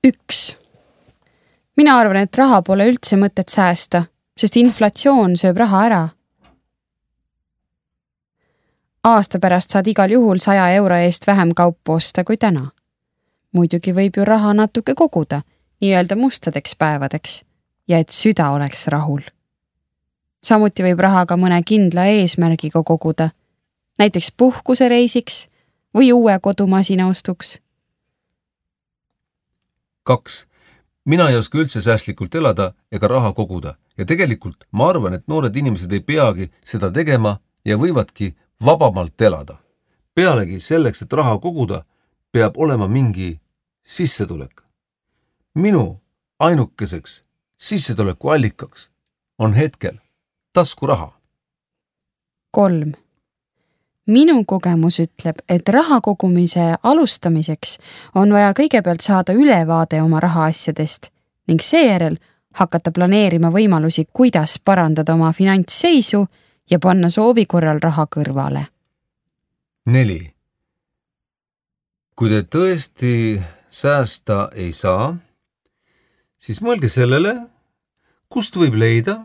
1. Mina arvan, et raha pole üldse mõtet säästa, sest inflatsioon sööb raha ära. Aasta pärast saad igal juhul 100 euro eest vähem kaupu osta kui täna. Muidugi võib ju raha natuke koguda, nii-öelda mustadeks päevadeks, ja et süda oleks rahul. Samuti võib raha ka mõne kindla eesmärgiga koguda, näiteks puhkusereisiks või uue kodumasina ostuks. 2. Mina ei oska üldse säästlikult elada ega raha koguda ja tegelikult ma arvan, et noored inimesed ei peagi seda tegema ja võivadki vabamalt elada. Pealegi selleks, et raha koguda, peab olema mingi sissetulek. Minu ainukeseks sissetuleku allikaks on hetkel taskuraha. 3. Minu kogemus ütleb, et raha kogumise alustamiseks on vaja kõigepealt saada ülevaade oma rahaasjadest ning seejärel hakata planeerima võimalusi, kuidas parandada oma finantsseisu ja panna soovi korral raha kõrvale. 4. Kui te tõesti säästa ei saa, siis mõelge sellele, kust võib leida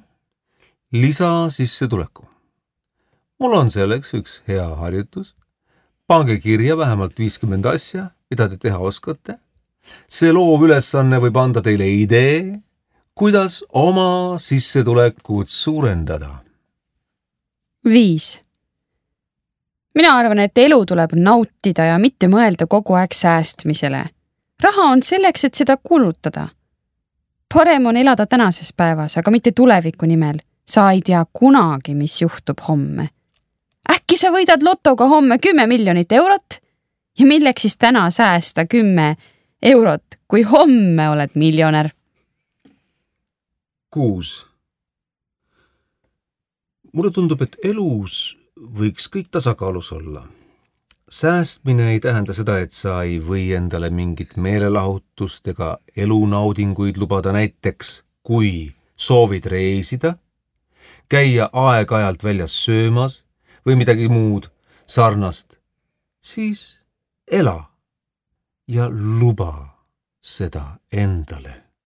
lisasissetuleku. Mul on selleks üks hea harjutus. Pange kirja vähemalt 50 asja, mida te teha oskate. See loov ülesanne võib anda teile idee, kuidas oma sissetulekut suurendada. 5. Mina arvan, et elu tuleb nautida ja mitte mõelda kogu aeg säästmisele. Raha on selleks, et seda kulutada. Parem on elada tänases päevas, aga mitte tuleviku nimel. Sa ei tea kunagi, mis juhtub homme. Äkki sa võidad lotoga homme 10 miljonit eurot? Ja milleks siis täna säästa 10 eurot, kui homme oled miljonär? 6. Mulle tundub, et elus võiks kõik tasakaalus olla. Säästmine ei tähenda seda, et sa ei või endale mingit meelelahutust ega elunaudinguid lubada, näiteks kui soovid reisida, käia aeg-ajalt väljas söömas või midagi muud sarnast, siis ela ja luba seda endale.